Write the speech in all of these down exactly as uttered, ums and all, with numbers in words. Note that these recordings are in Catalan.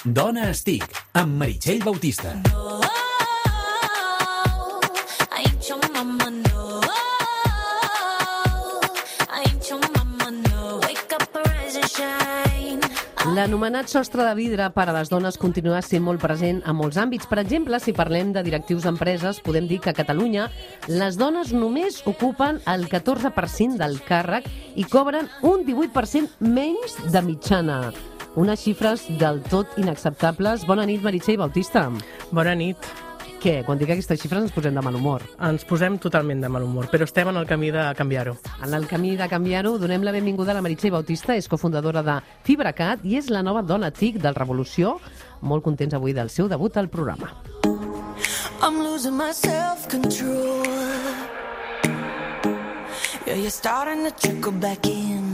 Dona Estic, amb Meritxell Bautista. L'anomenat sostre de vidre per a les dones continua sent molt present a molts àmbits. Per exemple, si parlem de directius d'empreses, podem dir que a Catalunya les dones només ocupen el catorze per cent del càrrec i cobren un divuit per cent menys de mitjana. Unes xifres del tot inacceptables. Bona nit, Meritxell Bautista. Bona nit. Què? Quan dic aquestes xifres ens posem de mal humor. Ens posem totalment de mal humor, però estem en el camí de canviar-ho. En el camí de canviar-ho, donem la benvinguda a la Meritxell Bautista, és cofundadora de FibraCat i és la nova dona TIC del Revolució. Molt contents avui del seu debut al programa. I'm losing my self-control. Yeah, you're starting to trickle back in.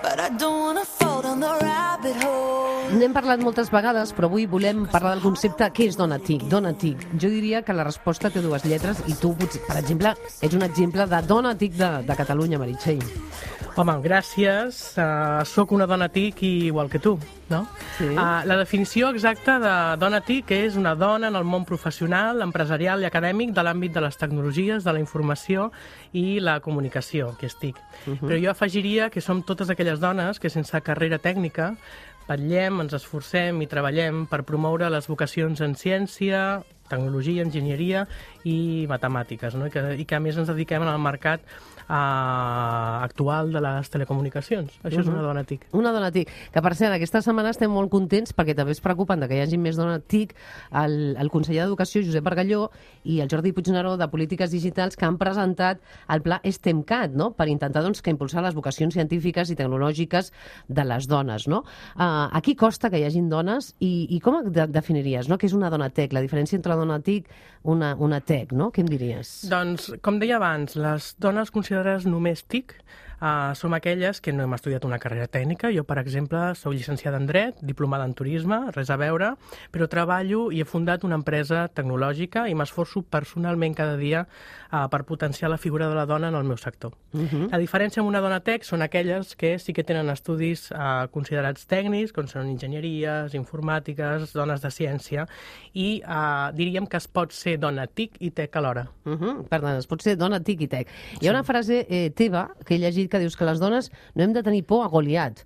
But I don't wanna fall down the rabbit hole. N'hem parlat moltes vegades, però avui volem parlar del concepte què és dona TIC, dona TIC. Jo diria que la resposta té dues lletres i tu, per exemple, ets un exemple de dona TIC de, de Catalunya, Meritxell. Home, gràcies. Uh, soc una dona TIC igual que tu, no? Sí. Uh, la definició exacta de dona TIC és una dona en el món professional, empresarial i acadèmic de l'àmbit de les tecnologies, de la informació i la comunicació, que és TIC. Uh-huh. Però jo afegiria que som totes aquelles dones que sense carrera tècnica vetllem, ens esforcem i treballem per promoure les vocacions en ciència, tecnologia, enginyeria i matemàtiques, no? I, que, i que a més ens dediquem al mercat uh, actual de les telecomunicacions. Això uh-huh. és una dona TIC. Una dona TIC, que per cert, aquesta setmana estem molt contents perquè també es preocupen de que hi hagi més dona TIC, el, el conseller d'Educació, Josep Bargalló, i el Jordi Puigneró, de Polítiques Digitals, que han presentat el pla STEMcat, no? Per intentar doncs, que impulsar les vocacions científiques i tecnològiques de les dones. No? Uh, aquí costa que hi hagin dones i, i com de, definiries no? Què és una dona TEC? La diferència entre dona TIC i una, una TEC, no? Què em diries? Doncs, com deia abans, les dones considerades només TIC Uh, som aquelles que no hem estudiat una carrera tècnica. Jo, per exemple, soc llicenciada en Dret, diplomada en Turisme, res a veure, però treballo i he fundat una empresa tecnològica i m'esforço personalment cada dia uh, per potenciar la figura de la dona en el meu sector. Uh-huh. La diferència amb una dona tec són aquelles que sí que tenen estudis uh, considerats tècnics, com són enginyeries, informàtiques, dones de ciència, i uh, diríem que es pot ser dona TIC i TEC alhora. Uh-huh. Per tant, es pot ser dona TIC i TEC. Hi ha una frase eh, teva que he llegit que dius que les dones no hem de tenir por a Goliat.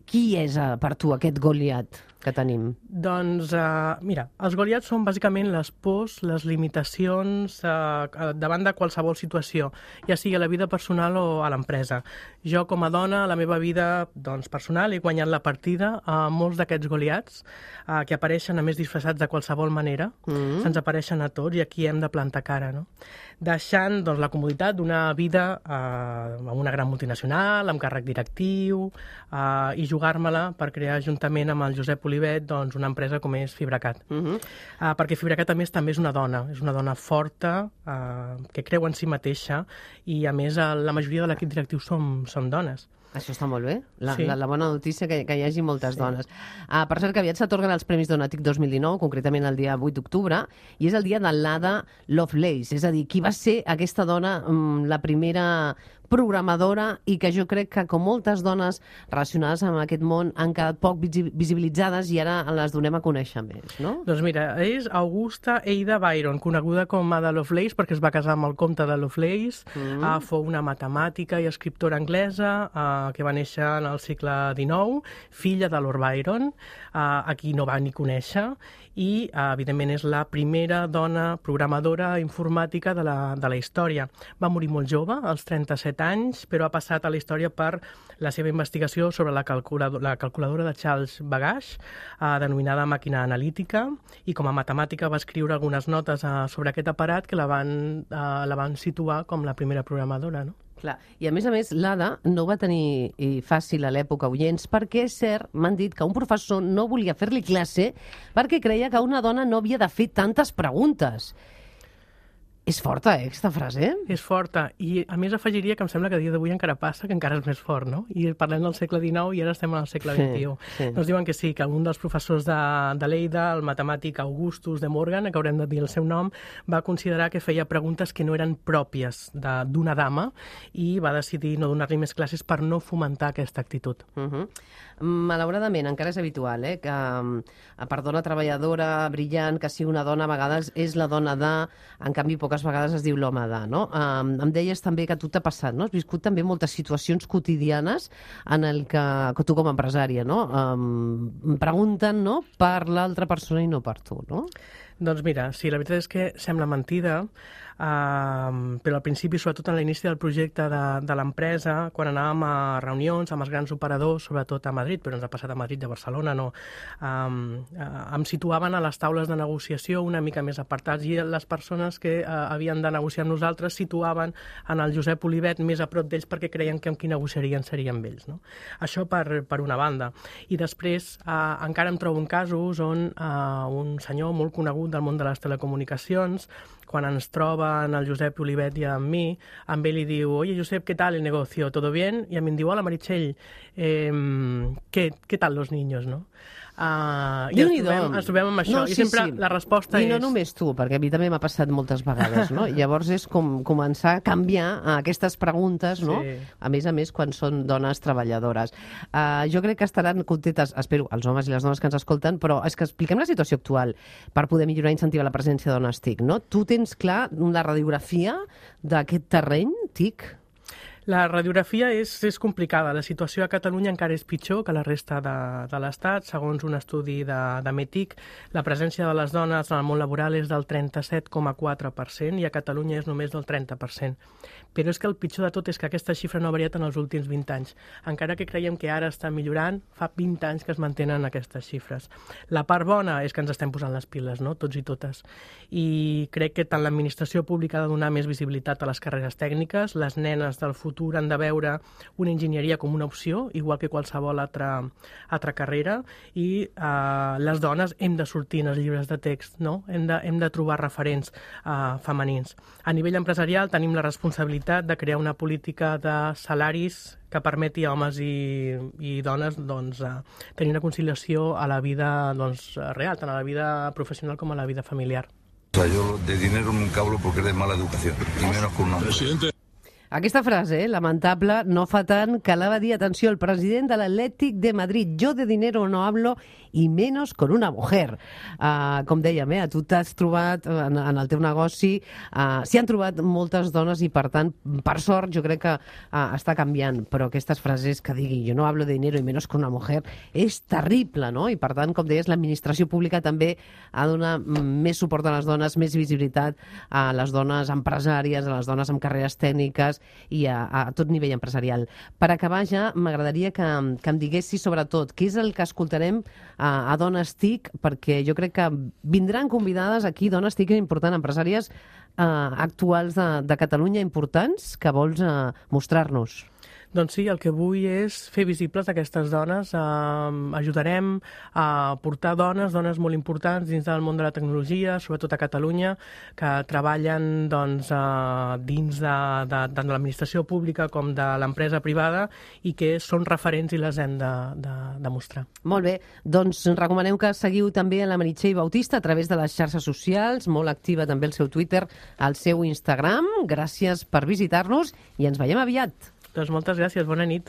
Qui és uh, per tu aquest Goliat que tenim? Doncs, uh, mira, els Goliats són bàsicament les pors, les limitacions uh, davant de qualsevol situació, ja sigui a la vida personal o a l'empresa. Jo, com a dona, a la meva vida doncs, personal, he guanyat la partida a molts d'aquests Goliats uh, que apareixen, a més, disfressats de qualsevol manera. Mm-hmm. Se'ns apareixen a tots i aquí hem de plantar cara, no? Deixant doncs, la comoditat d'una vida uh, amb una gran multinacional, amb càrrec directiu, uh, i jugar-me-la per crear, juntament amb el Josep Olivet, doncs, una empresa com és FibraCat. Uh-huh. uh, perquè FibraCat, a més, també és una dona. És una dona forta, uh, que creu en si mateixa, i, a més, la majoria de l'equip directiu som, som dones. Això està molt bé, la, sí. la, la bona notícia que, que hi hagi moltes sí. dones. Uh, per cert, que aviat s'atorguen els Premis Dona TIC dos mil dinou, concretament el dia vuit d'octubre, i és el dia de l'Ada Lovelace, és a dir, qui va ser aquesta dona, um, la primera programadora, i que jo crec que, com moltes dones relacionades amb aquest món, han quedat poc visibilitzades i ara les donem a conèixer més, no? Doncs mira, és Augusta Ada Byron, coneguda com Ada Lovelace perquè es va casar amb el comte de Lovelace. Mm. Uh, fou una matemàtica i escriptora anglesa uh, que va néixer en el segle dinou, filla de Lord Byron, uh, a qui no va ni conèixer, i, uh, evidentment, és la primera dona programadora informàtica de la, de la història. Va morir molt jove, als trenta-set anys, però ha passat a la història per la seva investigació sobre la calculadora, la calculadora de Charles Babbage, eh, denominada màquina analítica, i com a matemàtica va escriure algunes notes eh, sobre aquest aparat que la van, eh, la van situar com la primera programadora, no? Clar. I a més a més, l'Ada no va tenir fàcil a l'època, oients, perquè és cert, m'han dit que un professor no volia fer-li classe perquè creia que una dona no havia de fer tantes preguntes. És forta, eh, aquesta frase? És forta, i a més afegiria que em sembla que a dia d'avui encara passa, que encara és més fort, no? I parlem del segle dinou i ara estem en el segle vint-i-u. Sí, sí. Ens diuen que sí, que un dels professors de, de Lleida, el matemàtic Augustus de Morgan, que haurem de dir el seu nom, va considerar que feia preguntes que no eren pròpies de- d'una dama i va decidir no donar-li més classes per no fomentar aquesta actitud. Uh -huh. Malauradament, encara és habitual, eh, que eh, per dona treballadora, brillant, que sigui una dona, a vegades és la dona de, en canvi, poques vegades es diu l'home de, no? Um, em deies també que a tu t'ha passat, no? Has viscut també moltes situacions quotidianes en el que, que tu com a empresària, no? Um, pregunten, no?, per l'altra persona i no per tu, no? Doncs mira, sí, la veritat és que sembla mentida, uh, però al principi, sobretot en l'inici del projecte de, de l'empresa, quan anàvem a reunions amb els grans operadors, sobretot a Madrid, però ens ha passat a Madrid i a Barcelona, no, um, uh, em situaven a les taules de negociació una mica més apartats i les persones que uh, havien de negociar amb nosaltres situaven en el Josep Olivet més a prop d'ells perquè creien que amb qui negociarien seria amb ells, no? Això per, per una banda. I després uh, encara em trobo en casos on uh, un senyor molt conegut del món de les telecomunicacions, quan ens troba en el Josep Olivet i amb mi, amb ell li diu: «Oye, Josep, ¿qué tal el negocio? ¿Todo bien?» I a mi em diu: «Hola, Meritxell, eh, ¿qué, ¿qué tal los niños?» No? Uh, I ens trobem, ens trobem amb això. No, I sí, sempre sí. la resposta I és... no només tu, perquè a mi també m'ha passat moltes vegades, no? Llavors és com començar a canviar aquestes preguntes, no? Sí. A més a més, quan són dones treballadores. Uh, jo crec que estaran contentes, espero, els homes i les dones que ens escolten, però és que expliquem la situació actual per poder millorar i incentivar la presència de dones TIC, no? Tu tens clar la radiografia d'aquest terreny TIC? La radiografia és, és complicada. La situació a Catalunya encara és pitjor que la resta de, de l'Estat. Segons un estudi de, de METIC, la presència de les dones en el món laboral és del trenta-set coma quatre per cent i a Catalunya és només del trenta per cent. Però és que el pitjor de tot és que aquesta xifra no ha variat en els últims vint anys. Encara que creiem que ara està millorant, fa vint anys que es mantenen aquestes xifres. La part bona és que ens estem posant les piles, no?, tots i totes. I crec que tant l'administració pública ha de donar més visibilitat a les carreres tècniques, les nenes del futur han de veure una enginyeria com una opció, igual que qualsevol altra, altra carrera, i eh, les dones hem de sortir en els llibres de text, no? Hem de, hem de trobar referents eh, femenins. A nivell empresarial tenim la responsabilitat de crear una política de salaris que permeti a homes i, i dones doncs, eh, tenir una conciliació a la vida doncs, real, tant a la vida professional com a la vida familiar. O sea, yo de dinero nunca hablo porque es de mala educación, y menos con un hombre. Presidente. Aquesta frase, eh, lamentable, no fa tant que la va dir, atenció, el president de l'Atlètic de Madrid: yo de dinero no hablo y menos con una mujer. Uh, com dèiem, eh, tu t'has trobat en, en el teu negoci, uh, s'hi han trobat moltes dones i, per tant, per sort, jo crec que uh, està canviant, però aquestes frases que digui yo no hablo de dinero y menos con una mujer és terrible, no? I, per tant, com deies, l'administració pública també ha de donar més suport a les dones, més visibilitat a les dones empresàries, a les dones amb carreres tècniques i a, a tot nivell empresarial. Per acabar ja, m'agradaria que, que em diguessis sobretot què és el que escoltarem a, a Dones TIC, perquè jo crec que vindran convidades aquí dones TIC importants, empresàries eh, actuals de, de Catalunya importants que vols eh, mostrar-nos. Doncs sí, el que vull és fer visibles aquestes dones. Eh, ajudarem a portar dones, dones molt importants dins del món de la tecnologia, sobretot a Catalunya, que treballen doncs, eh, dins de, de, de l'administració pública com de l'empresa privada i que són referents i les hem de, de, de mostrar. Molt bé, doncs recomanem que seguiu també a la Meritxell Bautista a través de les xarxes socials, molt activa també el seu Twitter, el seu Instagram. Gràcies per visitar-nos i ens veiem aviat. Doncs moltes gràcies, bona nit.